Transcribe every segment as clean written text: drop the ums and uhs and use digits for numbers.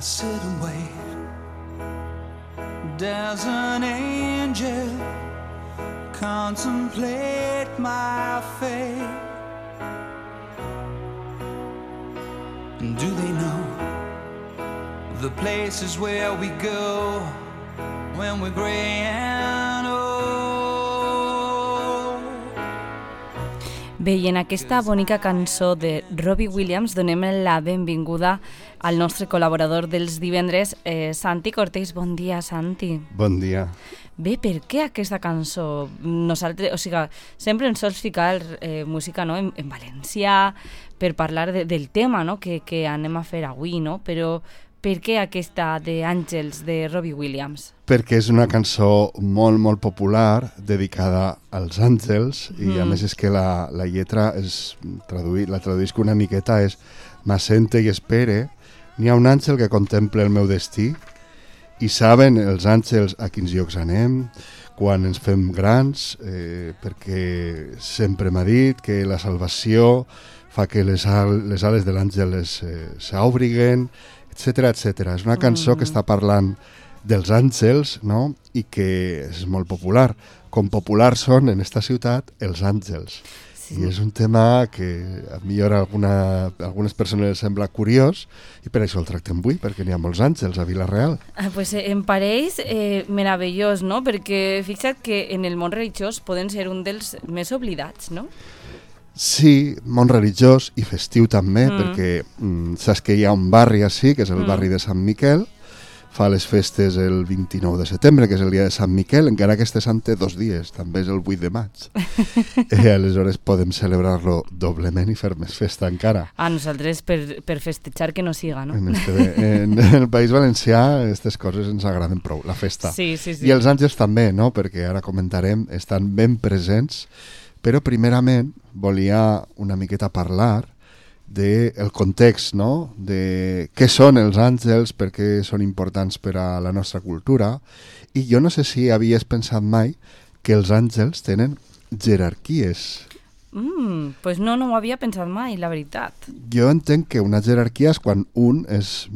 sit and wait. Does an angel contemplate my fate? And do they know the places where we go when we're gray and old? Bé, i en aquesta bonica cançó de Robbie Williams donem la benvinguda al nostre col·laborador dels divendres, Santi Cortés. Bon dia, Santi. Bon dia. Bé, per què aquesta cançó? Nosaltres, o sigui, sempre ens sols ficar música, no, en valencià per parlar del tema, no, que anem a fer avui, no? Però per què aquesta d'Àngels de Robbie Williams? Perquè és una cançó molt, molt popular dedicada als àngels i a més és que la lletra la traduïsc una miqueta, és m'assente i espere, n'hi ha un àngel que contempla el meu destí i saben els àngels a quins llocs anem, quan ens fem grans, perquè sempre m'ha dit que la salvació fa que les ales de l'àngel s'obriguen, etcètera, etcètera. És una cançó que està parlant dels àngels, no? I que és molt popular. Com populars són en esta ciutat els àngels. Sí. I és un tema que a millor a algunes persones els sembla curiós i per això el tractem avui, perquè n'hi ha molts àngels a Vila-real. Pues em pareix meravellós, no? Perquè fixa't que en el món religiós poden ser un dels més oblidats, no? Sí, món religiós i festiu també, perquè saps que hi ha un barri així, que és el barri de Sant Miquel, fa les festes el 29 de setembre, que és el dia de Sant Miquel, encara que este sant té 2 dies, també és el 8 de maig. Aleshores podem celebrar-lo doblement i fer més festa encara. A nosaltres per festejar que no siga, no? En el País Valencià aquestes coses ens agraden prou, la festa. Sí. I els àngels també, no? Perquè ara comentarem, estan ben presents. Però primerament volia una miqueta parlar del context, no? De què són els àngels, per què són importants per a la nostra cultura. I jo no sé si havies pensat mai que els àngels tenen jerarquies. Pues no ho havia pensat mai, la veritat. Jo entenc que una jerarquia és quan un és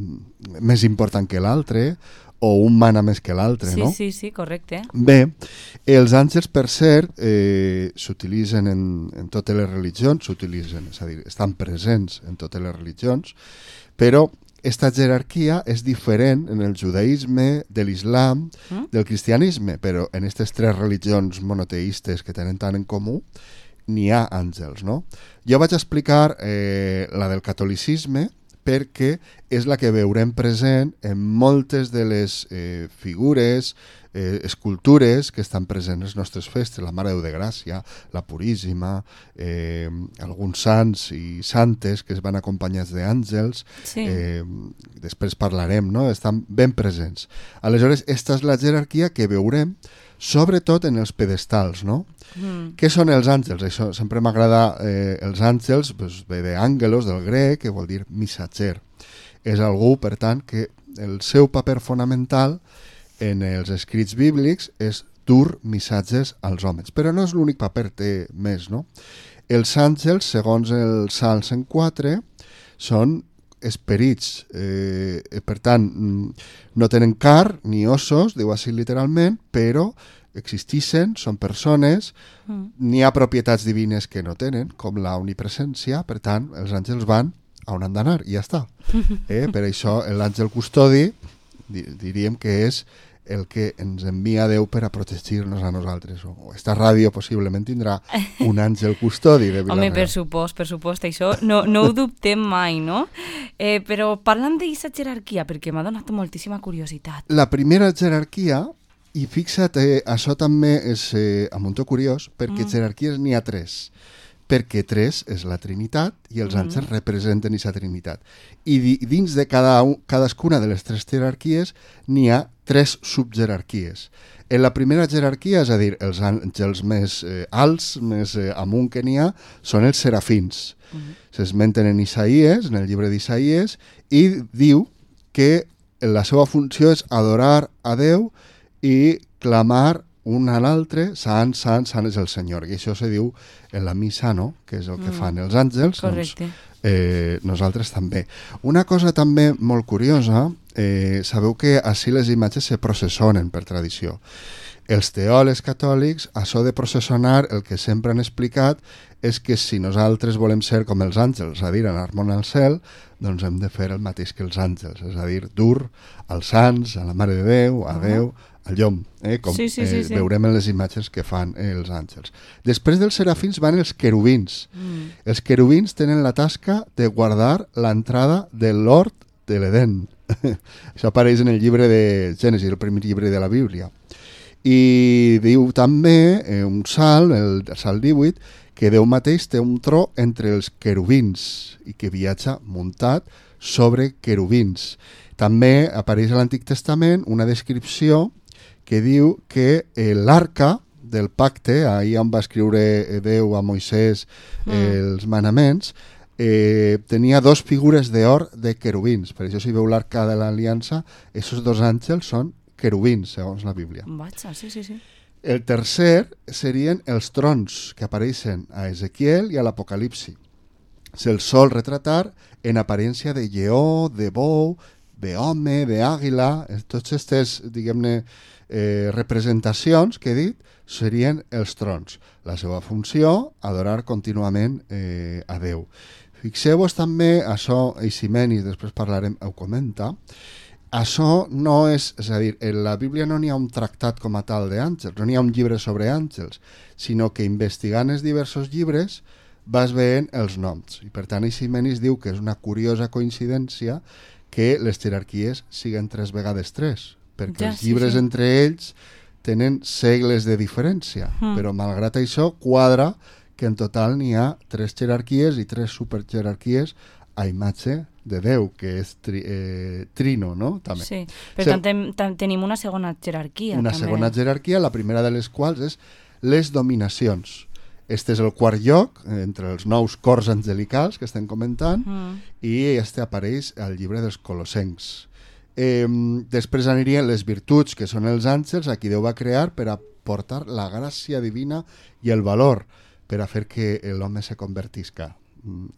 més important que l'altre, o un mana més que l'altre, no? Sí, correcte. Bé, els àngels, per cert, s'utilitzen en totes les religions, és a dir, estan presents en totes les religions, però aquesta jerarquia és diferent en el judaïsme, de l'islam, del cristianisme, però en aquestes 3 religions monoteistes que tenen tant en comú, n'hi ha àngels, no? Jo vaig explicar la del catolicisme, perquè és la que veurem present en moltes de les figures, escultures que estan presents en les nostres festes, la Mare de Déu de Gràcia, la Puríssima, alguns sants i santes que es van acompanyats d'àngels, després parlarem, no? Estan ben presents. Aleshores, esta és la jerarquia que veurem sobretot en els pedestals, no? Què són els àngels? Això sempre m'agrada, els àngels, ve d'àngelos, del grec, que vol dir missatger. És algú, per tant, que el seu paper fonamental en els escrits bíblics és dur missatges als homes. Però no és l'únic paper, té més, no? Els àngels, segons el Salm 104, són esperits, per tant, no tenen car ni ossos, diu així literalment, però existeixen, són persones, n'hi ha propietats divines que no tenen, com la omnipresència, per tant, els àngels van a on han d'anar i ja està. Per això l'àngel custodi diríem que és el que ens envia Déu per a protegir-nos a nosaltres. O esta ràdio possiblement tindrà un àngel custodi de Vila-real. Home, per supost, això no ho dubtem mai, no? Però parlant d'aquesta jerarquia, perquè m'ha donat moltíssima curiositat. La primera jerarquia, i fixa't, això també és a muntó curiós, perquè jerarquies n'hi ha 3. Perquè 3 és la Trinitat i els àngels representen aquesta Trinitat. I dins de cadascuna de les 3 jerarquies n'hi ha 3 subjerarquies. En la primera jerarquia, és a dir, els àngels més alts, més amunt que n'hi ha, són els serafins. S'esmenten en Isaïes, en el llibre d'Isaïes, i diu que la seva funció és adorar a Déu i clamar un a l'altre, sant, sant, sant és el Senyor. I això se diu en la missa, no?, que és el que fan els àngels. Correcte. Doncs, nosaltres també. Una cosa també molt curiosa, sabeu que així les imatges se processonen per tradició. Els teòlegs catòlics, això de processionar, el que sempre han explicat és que si nosaltres volem ser com els àngels, és a dir, anar-me'n al cel, doncs hem de fer el mateix que els àngels, és a dir, dur als sants, a la Mare de Déu, a Déu, al llom, com sí. veurem en les imatges que fan els àngels. Després dels serafins van els querubins. Els querubins tenen la tasca de guardar l'entrada de l'hort de l'Edén. Això apareix en el llibre de Gènesis, el primer llibre de la Bíblia. I diu també un salt, el salt 18, que Déu mateix té un tro entre els querubins i que viatja muntat sobre querubins. També apareix a l'Antic Testament una descripció que diu que l'arca del pacte, ahir on va escriure Déu a Moisès els manaments, tenia dos figures d'or de querubins. Per això si veu l'arca de l'Aliança, aquests dos àngels són querubins, segons la Bíblia. Vaja, sí. El tercer serien els trons que apareixen a Ezequiel i a l'Apocalipsi. Se'ls sol retratar en aparència de lleó, de bou, d'home, d'àguila. Tots aquestes, diguem-ne, representacions que he dit serien els trons. La seva funció, adorar contínuament a Déu. Fixeu-vos també, això Eiximenis, després parlarem, ho comenta, això no és a dir, en la Bíblia no n'hi ha un tractat com a tal d'àngels, no n'hi ha un llibre sobre àngels, sinó que investigant els diversos llibres vas veient els noms. I per tant, Eiximenis diu que és una curiosa coincidència que les jerarquies siguen 3 vegades 3, perquè els llibres entre ells tenen segles de diferència, però malgrat això quadra que en total n'hi ha 3 jerarquies i 3 superjerarquies a imatge de Déu, que és trino, no? També. Sí, per tant tenim una segona jerarquia. Una segona jerarquia, la primera de les quals és les dominacions. Este és el quart lloc, entre els 9 cors angelicals que estem comentant, i este apareix al llibre dels Colossencs. Després anirien les virtuts, que són els àngels, a qui Déu va crear per aportar la gràcia divina i el valor, per a fer que l'home se convertisca.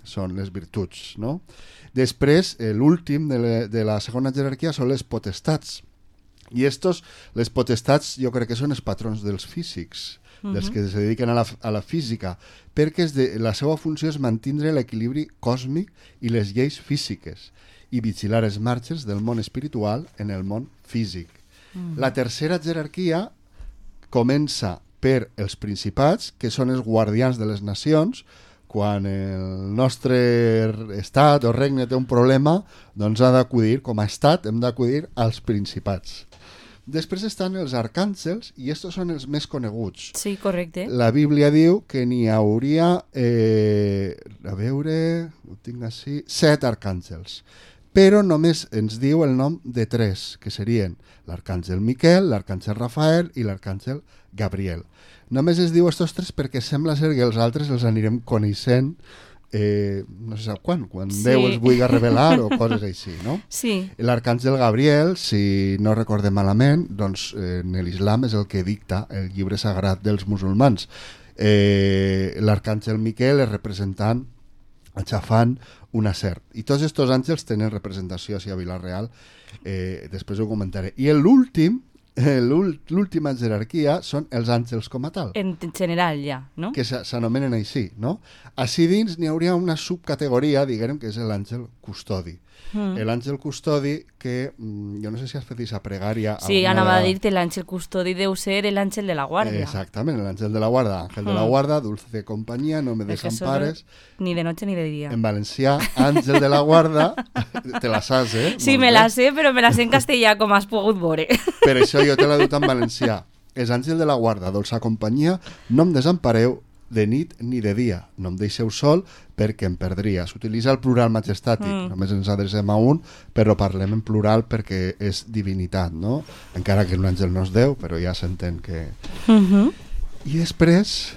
Són les virtuts, no? Després, l'últim de la segona jerarquia són les potestats. I les potestats jo crec que són els patrons dels físics, dels que se dediquen a la física, perquè la seva funció és mantindre l'equilibri còsmic i les lleis físiques i vigilar els marges del món espiritual en el món físic. La tercera jerarquia comença per els principats, que són els guardians de les nacions. Quan el nostre estat o regne té un problema, doncs ha d'acudir, com a estat, hem d'acudir als principats. Després estan els arcàngels, i estos són els més coneguts. Sí, correcte. La Bíblia diu que n'hi hauria, a veure, ho tinc així, 7 arcàngels. Però només ens diu el nom de 3, que serien l'arcàngel Miquel, l'arcàngel Rafael i l'arcàngel Gabriel. Només es diu estos 3 perquè sembla ser que els altres els anirem coneixent no se sap quan Déu els vulgui revelar o coses així, no? Sí. L'arcàngel Gabriel, si no recordem malament, doncs en l'islam és el que dicta el llibre sagrat dels musulmans. L'arcàngel Miquel és representant aixafant una serp. I tots aquests àngels tenen representació a Vila-real, després ho comentaré. I l'última jerarquia són els àngels com a tal. En general ja, no? Que s'anomenen així, no? Així dins n'hi hauria una subcategoria, diguem, que és l'àngel custodi. L'àngel custodi que, jo no sé si has fet aquesta pregària... Sí, anava a dir-te, l'àngel custodi deu ser l'àngel de la guarda. Exactament, l'àngel de la guarda. Àngel de la guarda, dulce compañía, no me desampares. Ni de noche ni de dia. En valencià, àngel de la guarda, te la saps, eh? Sí, me la sé, però me la sé en castellà, com has pogut veure. Per això jo te l'he dut en valencià. És àngel de la guarda, dolça companyia, no em desampareu de nit ni de dia, no em deixeu sol perquè em perdria. S'utilitza el plural majestàtic, només ens adrecem a un, però parlem en plural perquè és divinitat, no? Encara que un àngel no és Déu, però ja s'entén que... I després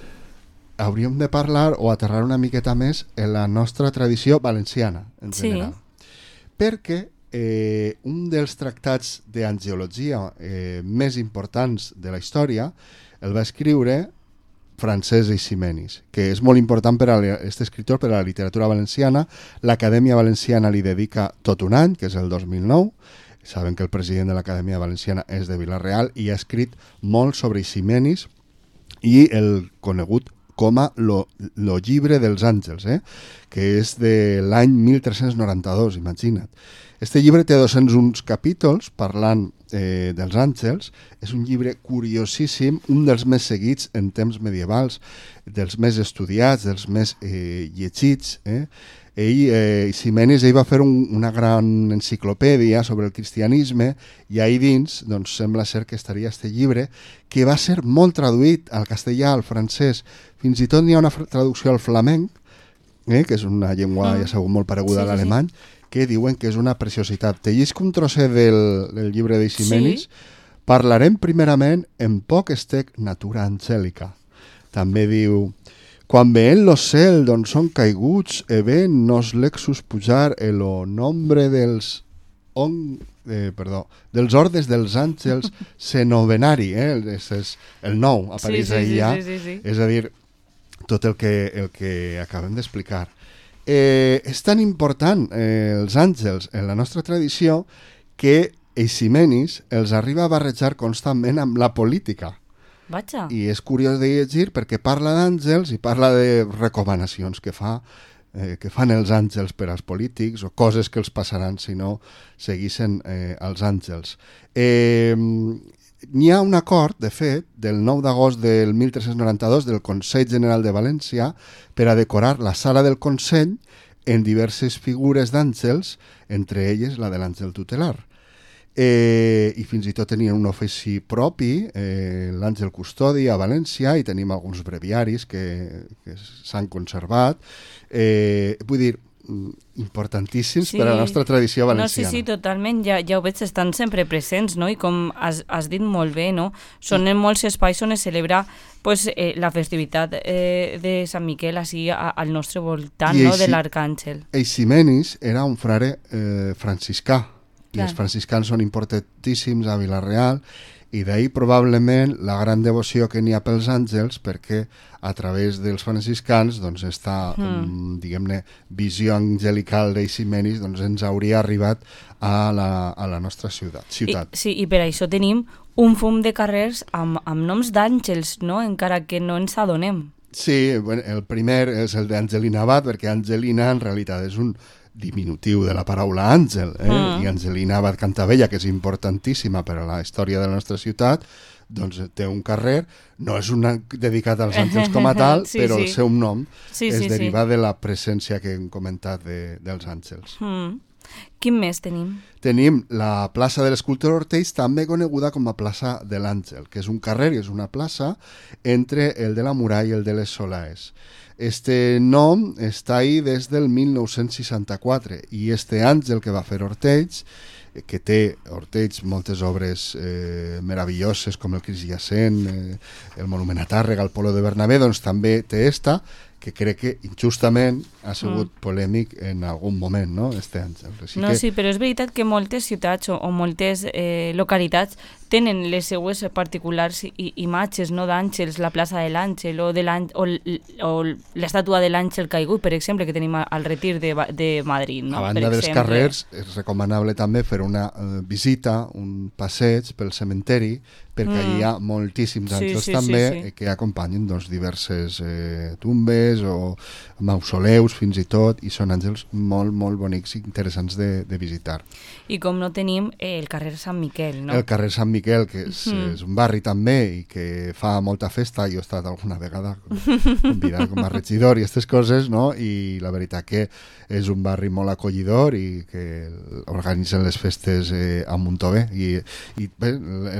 hauríem de parlar o aterrar una miqueta més en la nostra tradició valenciana, en general. Perquè un dels tractats d'angiologia més importants de la història el va escriure Francesc Eiximenis, que és molt important per a aquest escriptor per a la literatura valenciana. L'Acadèmia Valenciana li dedica tot un any, que és el 2009. Saben que el president de l'Acadèmia Valenciana és de Vila-real i ha escrit molt sobre Eiximenis i el conegut com a lo llibre dels àngels, que és de l'any 1392, imagina't. Este llibre té 201 capítols parlant dels àngels. És un llibre curiosíssim, un dels més seguits en temps medievals, dels més estudiats, dels més llegits. Eiximenis va fer una gran enciclopèdia sobre el cristianisme i ahí dins doncs, sembla ser que estaria este llibre, que va ser molt traduït al castellà, al francès, fins i tot n'hi ha una traducció al flamenc, que és una llengua ja sabeu molt pareguda a l'alemany, que diuen que és una preciositat. Te llisc un trosset del llibre d'Eiximenis. Parlarem primerament en poc estec natura angèlica. També diu: quan veient lo cel d'on són caiguts, ven nos lexus pujar el nombre dels ordes dels àngels senovenari. És el nou, apareix allà. És a dir, tot el que acabem d'explicar. És tan important els àngels en la nostra tradició que Eiximenis els arriba a barrejar constantment amb la política. Vaja. I és curiós de llegir perquè parla d'àngels i parla de recomanacions que fan els àngels per als polítics o coses que els passaran si no seguissin els àngels. N'hi ha un acord, de fet, del 9 d'agost del 1392 del Consell General de València per a decorar la sala del Consell en diverses figures d'àngels, entre elles la de l'àngel tutelar. I fins i tot tenien un ofici propi, l'àngel custodi a València, i tenim alguns breviaris que s'han conservat. Vull dir, importantíssims per a la nostra tradició valenciana. No, sí, totalment, ja ho veig, estan sempre presents, no? I com has dit molt bé, no? Són en molts espais on es celebra la festivitat de Sant Miquel així al nostre voltant, no? De l'Arcàngel. Eiximenis era un frare franciscà, i els franciscans són importantíssims a Vila-real, i d'ahir probablement la gran devoció que n'hi ha pels àngels, perquè a través dels franciscans doncs està, diguem-ne, visió angelical d'Eiximenis, doncs ens hauria arribat a la nostra ciutat. I per això tenim un fum de carrers amb noms d'àngels, no? Encara que no ens adonem. Sí, el primer és el d'Angelina Abad, perquè Angelina en realitat és un diminutiu de la paraula àngel, i Angelina Abad Cantabella, que és importantíssima per a la història de la nostra ciutat, doncs té un carrer, no és dedicat als àngels com a tal, però el seu nom es deriva de la presència que hem comentat dels àngels. Quin més tenim? Tenim la plaça de l'Escultor Ortells, també coneguda com a plaça de l'Àngel, que és un carrer i és una plaça entre el de la Muralla i el de les Solaes. Este nom està ahí des del 1964 i este àngel que va fer Ortells, que té Ortells moltes obres meravelloses com el Crist Jacent, el Monument a Tàrrega, el Polo de Bernabé, doncs també té esta, que crec que injustament ha sigut polèmic en algun moment, no?, este àngel. Sí, però és veritat que moltes ciutats o moltes localitats tenen les seues particulars imatges, no, d'àngels, la plaça de l'Àngel o l'estàtua de l'Àngel caigut, per exemple, que tenim al Retir de Madrid, no? A banda dels carrers, és recomanable també fer una visita, un passeig pel cementeri, perquè allà hi ha moltíssims àngels també que acompanyen diverses tumbes o mausoleus fins i tot, i són àngels molt, molt bonics i interessants de visitar. I com no tenim el carrer Sant Miquel, no? El carrer Sant Miquel, que és un barri també i que fa molta festa. Jo he estat alguna vegada convidat com a regidor i aquestes coses, no? I la veritat que és un barri molt acollidor i que organitzen les festes a Montové. I bé,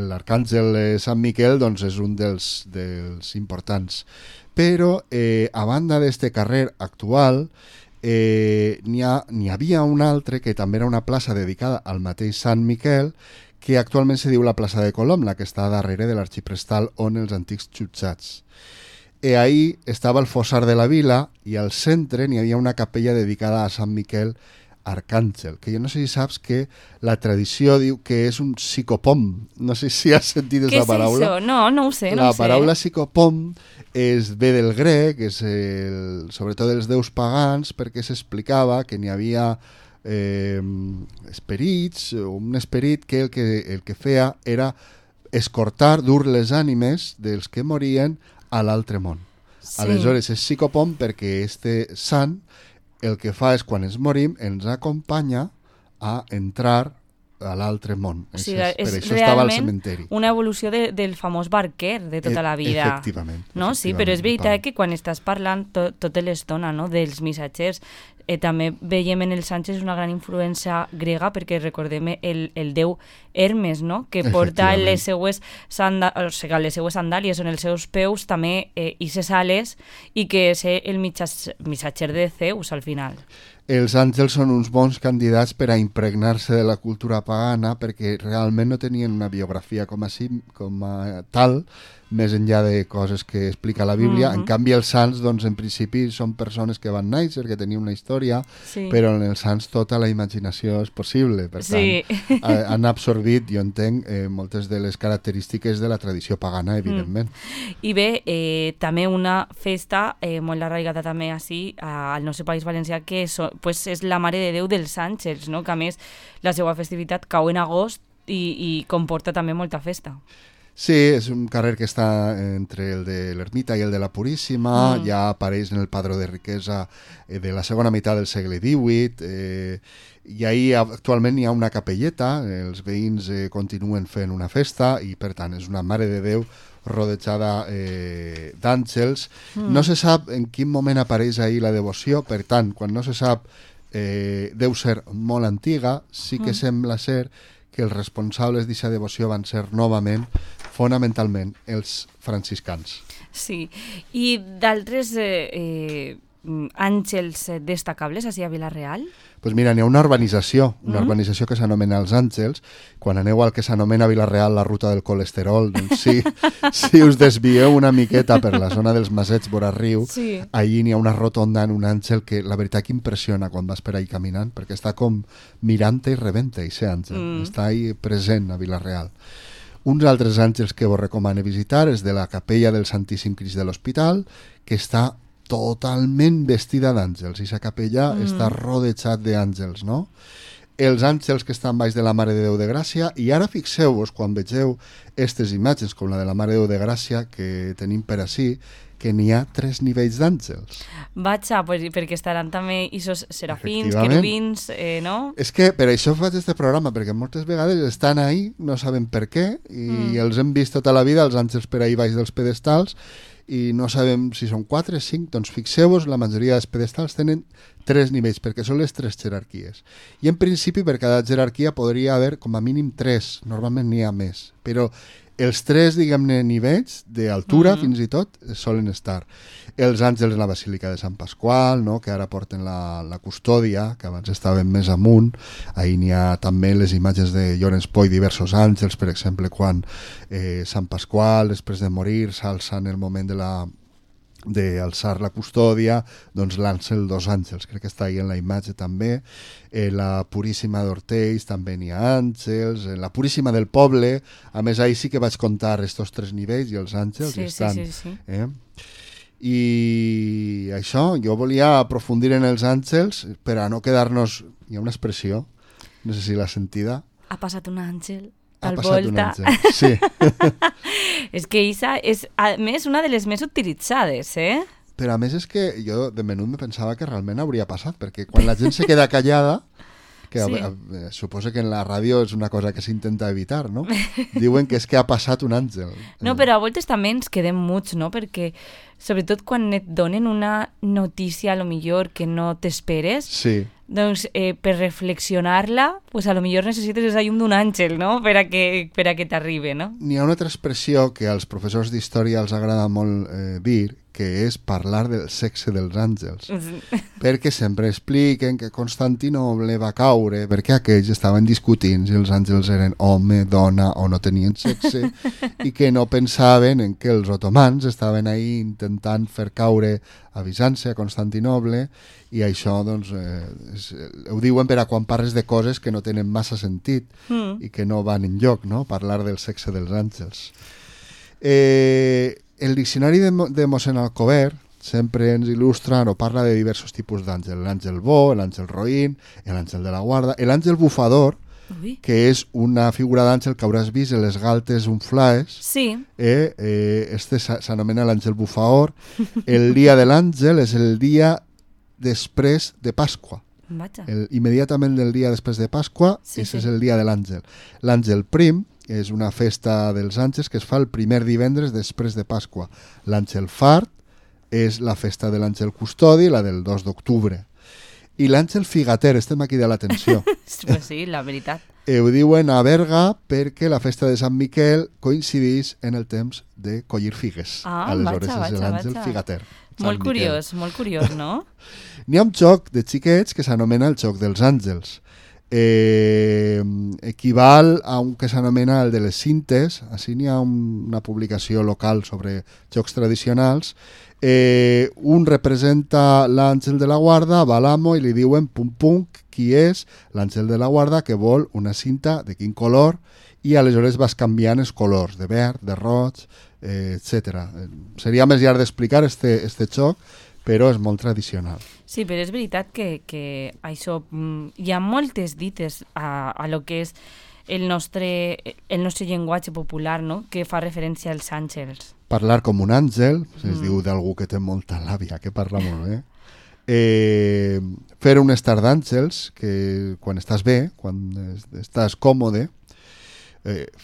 l'Arcàngel Sant Miquel doncs, és un dels importants. Però, a banda d'este carrer actual, n'hi havia un altre que també era una plaça dedicada al mateix Sant Miquel, que actualment se diu la plaça de Colom, la que està darrere de l'Arxiprestal on els antics jutjats. Ahí estava el fossar de la vila i al centre n'hi havia una capella dedicada a Sant Miquel arcàngel, que jo no sé si saps que la tradició diu que és un psicopom. No sé si has sentit aquesta paraula. Què és això? No ho sé. La paraula psicopom ve del grec, sobretot dels déus pagans, perquè s'explicava que n'hi havia esperits, un esperit que el que feia era escortar, dur les ànimes dels que morien a l'altre món. Sí. Aleshores és psicopom perquè este sant el que fa és, quan ens morim, ens acompanya a entrar a l'altre món. O sigui, per això estava al cementeri. Una evolució del famós barquer de tota la vida. Efectivament. No? Sí, però és veritat que quan estàs parlant tota l'estona, no?, dels missatgers, també veiem en els Àngels una gran influència grega, perquè recordem el déu Hermes, no?, que porta les seues sandàlies on els seus peus també ixes ales, i que és el missatger de Zeus al final. Els àngels són uns bons candidats per a impregnar-se de la cultura pagana, perquè realment no tenien una biografia com a tal, més enllà de coses que explica la Bíblia. En canvi, els sants, doncs, en principi, són persones que van néixer, que tenien una història, però en els sants tota la imaginació és possible. Per tant, han absorbit, jo entenc, moltes de les característiques de la tradició pagana, evidentment. I bé, també una festa molt arraigada també així al nostre país valencià, que és la Mare de Déu dels Àngels, no?, que a més la seva festivitat cau en agost i comporta també molta festa. Sí, és un carrer que està entre el de l'Ermita i el de la Puríssima, ja apareix en el padró de riquesa de la segona meitat del segle XVIII, i ahir actualment hi ha una capelleta, els veïns continuen fent una festa, i per tant és una Mare de Déu rodejada d'àngels. No se sap en quin moment apareix ahir la devoció, per tant, quan no se sap, deu ser molt antiga. Sí que sembla ser que els responsables d'aquesta devoció van ser novament, fonamentalment, els franciscans. Sí, i d'altres àngels destacables així a Vila-real? Doncs mira, n'hi ha una urbanització que s'anomena Els Àngels. Quan aneu al que s'anomena Vila-real la ruta del colesterol, doncs si us desvieu una miqueta per la zona dels Masets vora riu, allí n'hi ha una rotonda en un àngel que la veritat que impressiona quan vas per ahí caminant, perquè està com mirant-te i rebent-te, aquest àngel. Està ahí present a Vila-real. Uns altres àngels que vos recomano visitar és de la capella del Santíssim Crist de l'Hospital, que està totalment vestida d'àngels, i la capella està rodejat d'àngels, no? Els àngels que estan baix de la Mare de Déu de Gràcia, i ara fixeu-vos, quan vegeu aquestes imatges com la de la Mare de Déu de Gràcia que tenim per ací, que n'hi ha 3 nivells d'àngels. Vaja, perquè estaran també aquests serafins, querubins, no? És que per això faig aquest programa, perquè moltes vegades estan ahí, no saben per què, i els hem vist tota la vida, els àngels per ahí baix dels pedestals, i no sabem si són 4 o 5, doncs fixeu-vos, la majoria dels pedestals tenen 3 nivells, perquè són les 3 jerarquies. I en principi per cada jerarquia podria haver com a mínim 3, normalment n'hi ha més, però els 3, diguem-ne, nivells d'altura fins i tot solen estar. Els àngels en la Basílica de Sant Pasqual, no?, que ara porten la custòdia, que abans estaven més amunt. Ahir n'hi ha també les imatges de Llorenç Poi, diversos àngels, per exemple, quan Sant Pasqual, després de morir, s'alça en el moment d'alçar la custòdia, doncs l'àngel 2 àngels, crec que està ahí en la imatge també. La Puríssima d'Hortells també n'hi ha àngels, la Puríssima del Poble, a més ahir sí que vaig comptar estos 3 nivells i els àngels estan. I això, jo volia aprofundir en els àngels per a no quedar-nos... Hi ha una expressió, no sé si l'has sentida. Ha passat un àngel al volta. Sí. És que Isa és, a més, una de les més utilitzades, Però a més és que jo de menut me pensava que realment hauria passat, perquè quan la gent se queda callada, que suposo que en la ràdio és una cosa que s'intenta evitar, no? Diuen que és que ha passat un àngel. No, però a voltes també ens quedem muts, no? Perquè sobretot quan et donen una notícia, a lo millor, que no t'esperes, doncs per reflexionar-la, pues a lo millor necessites esa llum d'un àngel, no? Per a que t'arribe, no? N'hi ha una altra expressió que als professors d'història els agrada molt dir, que és parlar del sexe dels àngels. Perquè sempre expliquen que Constantinoble va caure perquè aquells estaven discutint si els àngels eren home, dona o no tenien sexe, i que no pensaven en que els otomans estaven ahí intentant fer caure a Bizanci, a Constantinoble, i això doncs, ho diuen per a quan parles de coses que no tenen massa sentit i que no van enlloc, no? Parlar del sexe dels àngels. El diccionari de mossèn Alcover sempre ens il·lustra o parla de diversos tipus d'àngel, l'àngel bo, l'àngel roín, l'àngel de la guarda, l'àngel bufador, que és una figura d'àngel que hauràs vist en les galtes unflaes. Sí. Este s'anomena l'àngel bufador. El dia de l'àngel és el dia després de Pasqua. Immediatament del dia després de Pasqua, és el dia de l'àngel. L'àngel prim és una festa dels àngels que es fa el primer divendres després de Pasqua. L'àngel fart és la festa de l'àngel custodi, la del 2 d'octubre. I l'àngel figater, estem aquí de l'atenció. Pues sí, la veritat. Ho diuen a Berga perquè la festa de Sant Miquel coincideix en el temps de collir figues. Aleshores és l'àngel figater. Molt curiós, no? N'hi ha un joc de xiquets que s'anomena el joc dels àngels. Equival a un que s'anomena el de les cintes. Així n'hi ha una publicació local sobre jocs tradicionals. Un representa l'àngel de la guarda, va a l'amo i li diuen pum pum, qui és l'àngel de la guarda que vol una cinta de quin color, i aleshores vas canviant els colors de verd, de roig, etc. Seria més llarg d'explicar este joc, però és molt tradicional. Sí, però és veritat que això, hi ha moltes dites a lo que és el nostre llenguatge popular, no?, que fa referència als àngels. Parlar com un àngel, es diu d'algú que té molta làbia, que parla molt bé. Fer un estar d'àngels, que quan estàs bé, quan estàs còmode,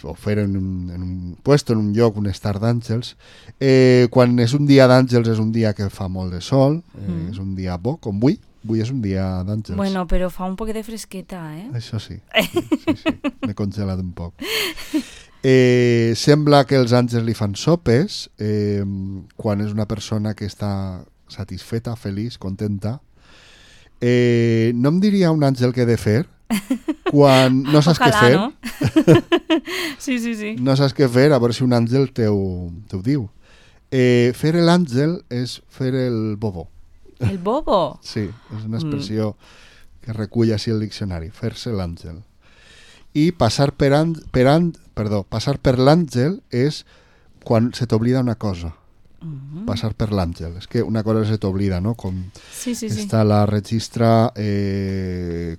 o fer en un puesto, en un lloc, un estar d'àngels. Quan és un dia d'àngels és un dia que fa molt de sol, és un dia bo, com avui. Avui és un dia d'àngels. Bueno, però fa un poc de fresqueta, Això sí. M'he congelat un poc. Sembla que els àngels li fan sopes quan és una persona que està satisfeta, feliç, contenta. No em diria un àngel què he de fer quan no saps què fer. No? Sí. No saps què fer, a veure si un àngel t'ho diu. Fer l'àngel és fer el bobo. El bobo? Sí, és una expressió que recull així el diccionari, fer-se l'àngel. I passar per l'àngel és quan se t'oblida una cosa. Passar per l'àngel. És que una cosa se t'oblida, no? Com està la registra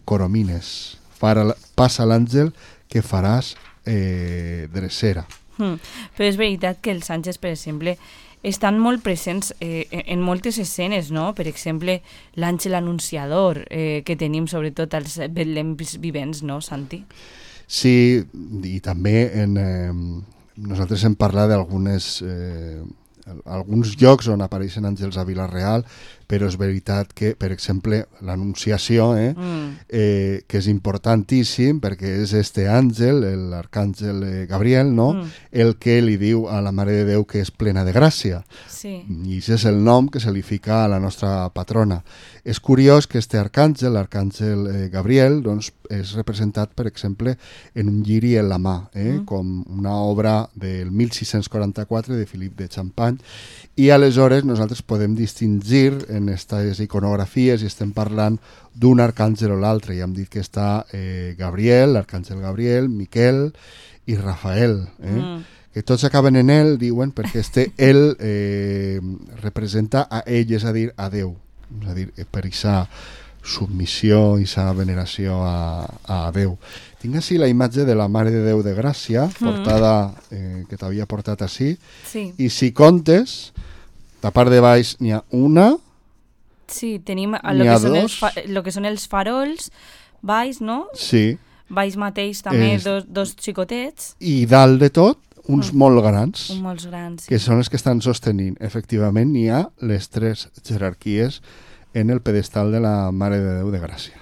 Coromines. Passa l'àngel que faràs drecera. Però és veritat que els àngels, per exemple, estan molt presents en moltes escenes, no? Per exemple, l'àngel anunciador que tenim sobretot als betlems vivents, no, Santi? Sí, i també nosaltres hem parlat d'alguns llocs on apareixen àngels a Vila-real, però és veritat que, per exemple, l'Anunciació, que és importantíssim perquè és este àngel, l'arcàngel Gabriel, no? El que li diu a la Mare de Déu que és plena de gràcia. Sí. I aquest és el nom que se li fica a la nostra patrona. És curiós que este arcàngel, l'arcàngel Gabriel, doncs, és representat, per exemple, en un lliri en la mà, com una obra del 1644 de Philippe de Champagne, i aleshores nosaltres podem distingir en aquestes iconografies i estem parlant d'un arcàngel o l'altre. Ja hem dit que està Gabriel, l'arcàngel Gabriel, Miquel i Rafael, que tots acaben en ell, diuen, perquè ell representa a ell, és a dir, a Déu. És a dir, per aquesta submissió i aquesta veneració a Déu. Tinc així la imatge de la Mare de Déu de Gràcia, portada, que t'havia portat així, i si comptes, a part de baix n'hi ha una, sí, tenim el que són els farols, baix, no? Sí. Baix mateix també dos xicotets. I dalt de tot, uns molt grans, molts grans, que són els que estan sostenint. Efectivament, n'hi ha les 3 jerarquies en el pedestal de la Mare de Déu de Gràcia.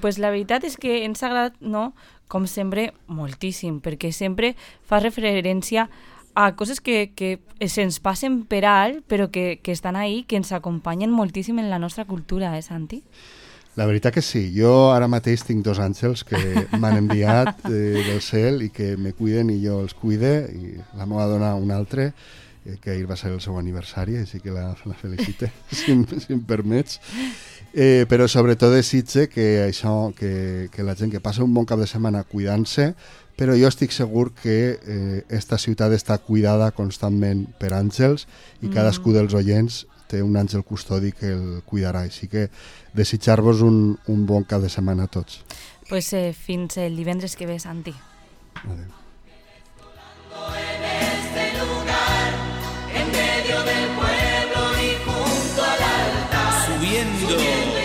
Pues la veritat és que ens ha agradat, no? Com sempre, moltíssim, perquè sempre fa referència a coses que se'ns passen per alt, però que estan ahí, que ens acompanyen moltíssim en la nostra cultura, Santi? La veritat que sí. Jo ara mateix tinc 2 àngels que m'han enviat del cel i que me cuiden i jo els cuide, i la meva dona un altre, que ahir va ser el seu aniversari, així que la felicite, si em permets. Però sobretot desitge que això, que la gent que passa un bon cap de setmana cuidant-se, però jo estic segur que esta ciutat està cuidada constantment per àngels i cadascú dels oients té un àngel custodi que el cuidarà, així que desitjar-vos un bon cap de setmana a tots. Pues fins el divendres que ve, Santi. Adéu. Subiendo